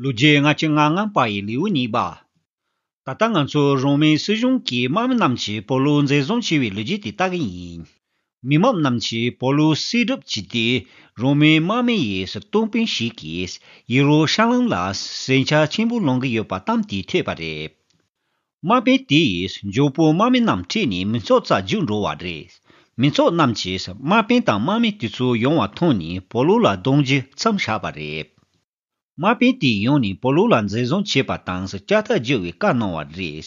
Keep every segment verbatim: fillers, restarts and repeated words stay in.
ལོ་རྒྱུས་ལྔ་བཅུ་ང་ལྔ་པ་ཡི་ལེའུ་གཉིས་པ། ད་ལྟ་ང་ཚོ་རོ་མའི་སྲིད་གཞུང་གི་དམག་མི་རྣམས་ཀྱིས་པོ་ལུ་འཛིན་བཟུང་བྱས་པའི་ལོ་རྒྱུས་དེ་ལྟ་གི་ཡིན། མི་མང་རྣམས་ཀྱིས་པོ་ལུ་བསད་གྲབས་བྱས་ཏེ། རོ་མའི་དམག་མི་ཡི་སྟོང་དཔོན་ཞིག་གིས་ཡེ་རུ་ཤ་ལམ་ལ་ཟིང་ཆ་ཆེན་པོ་ལངས་ཀྱི་ཡོད་པ་གཏམ་དེ་ཐོས་པ་རེད། དམག་དཔོན་དེ་ཡིས་མགྱོགས་པོ་དམག་མི་རྣམས་ཁྲིད་ནས་མི་ཚོགས་རྩར་རྒྱུགས་འགྲོ་བ་རེད། མི་ཚོགས་རྣམས་ཀྱིས་དམག་དཔོན་དང་དམག་མི་དེ་ཚོ་ཡོང་བ་མཐོང་ནས་པོ་ལུ་ལ་རྡུང་རྒྱུ་མཚམས་བཞག་པ་རེད། དམག་དཔོན་དེས་ཡོང་ནས་པོ་ལུ་ལ་འཛིན་བཟུང་བྱས་པ་དང་ལྕགས་ཐག་བརྒྱུ་བའི་བཀའ་གནང་བ་རེད།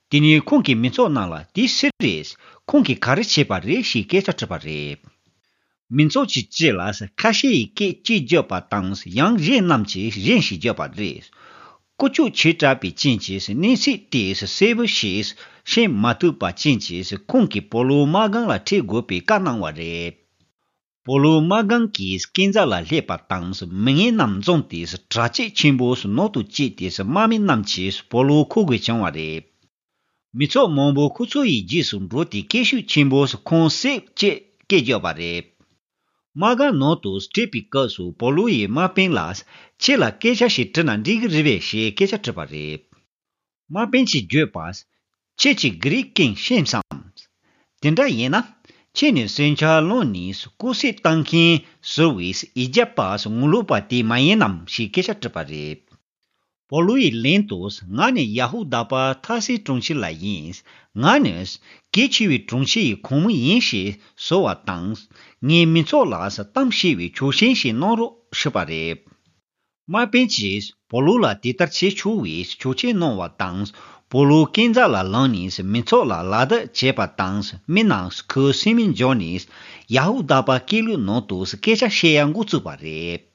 དེ་ནས་ཁོང་གིས་མི་ཚོགས་རྣམས་ལ་དེ་སུ་རེད། ཁོང་གིས་ག་རེ་བྱས་པ་རེད་ཞེས་སྐད་ཆ་དྲིས་པ་རེད། མི་ཚོགས་ཀྱི་སྤྱི་ལ་ཁ་ཤས་ཡིས་སྐད་ཅིག་བརྗོད་པ་དང་ཡང་གཞན་རྣམས་ཀྱིས་གཞན་ཞིག་བརྗོད་པ་རེད། ཀུ་ཅོ་བྱེ་བྲག་པའི་རྐྱེན་གྱིས་གནས་ཚུལ་དེ་གསལ་པོ་ཞིག་ཤེས་མ་ཐུབ་པ་རྐྱེན་གྱིས་ཁོང་གིས་པོ་ལུ་དམག་སྒར་ལ་ཁྲིད་དགོས་པའི་བཀའ་གནང་བ་རེད། པོ་ལུ་དམག་སྒར་གྱི་སྐས་འཛེག་ལ་སླེབས་པ་དང་མི་ངན་རྣམས་འཛོམས་ཏེ་གྲ་སྒྲིག་ཆེན་པོ་ནང་དུ་བསྐྱལ་ཏེ་དམག་མི་རྣམས་ཀྱིས་པོ་ལུ་འཁུར་དགོས་བྱུང་བ་རེད། མི་ཚོགས་མང་པོ་ཁོ་ཚོ་ཡི་རྗེས་སུ་འགྲོ་སྟེ་སྐད་ཤུགས་ཆེན་པོས་ཁོང་བསད་ཅེས་སྐད་བརྒྱབ་པ་རེད། དམག་སྒར་ནང་དུ་ཁྲིད་པའི་སྐབས་སུ་པོ་ལུ་ཡིས་དམག་དཔོན་ལ། ཁྱེད་ལ་སྐད་ཆ་ཞིག་དྲིས་ན་འགྲིག་གི་རེད་པས་ཞེས་སྐད་ཆ་དྲིས་པ་རེད། དམག་དཔོན་གྱིས་བརྗོད་པ། ཁྱེད་ཀྱིས་གྷི་རིག་སྐད་ཤེས་སམ། དེ་འདྲ་ཡིན་ན། ཁྱེད་ནི་ཟིང་ཆ་སློང་ནས་སྐུ་སྲོག་བཏང་མཁན་ཟུར་བའི་ཨི་ཇེབ་པ་ངོ་ལོག་པ་དེ་མ་ཡིན་ནམ་ཞེས་སྐད་ཆ་དྲིས་པ་རེད། པོ་ལུ་ཡིས་ལན་དུ། ང་ནི་ཡ་ཧུ་དཱ་པ་ཐར་སིའི་གྲོང་ཁྱེར་ལ་ཡིན། ང་ནི་གལ་ཆེ་བའི་གྲོང་ཁྱེར་ཡི་ཁོངས་མི་ཡིན་ཞེས་ཟེར་བ་དང་། ངའི་མི་ཚོགས་ལ་གཏམ་བཤད་པའི་ཆོག་མཆན་ཞིག་གནང་རོགས་ཞུས་པ་རེད། དམག་དཔོན་གྱིས་པོ་ལུ་ལ་དེ་ལྟར་བྱེད་ཆོག་པའི་ཆོག་མཆན་གནང་བ་དང་། པོ་ལུ་སྐས་འཛེག་ལ་ལངས་ནས་མི་ཚོགས་ལ་ལག་བརྡ་བྱས་པ་དང་། མི་རྣམས་ཁོའི་སེམས་མི་འཇོག་ནས་ཡ་ཧུ་དཱ་པ་སྐད་ལུགས་ནང་དུ་སྐད་ཆ་བཤད་ཡ་འགོ་བཙུགས་པ་རེད།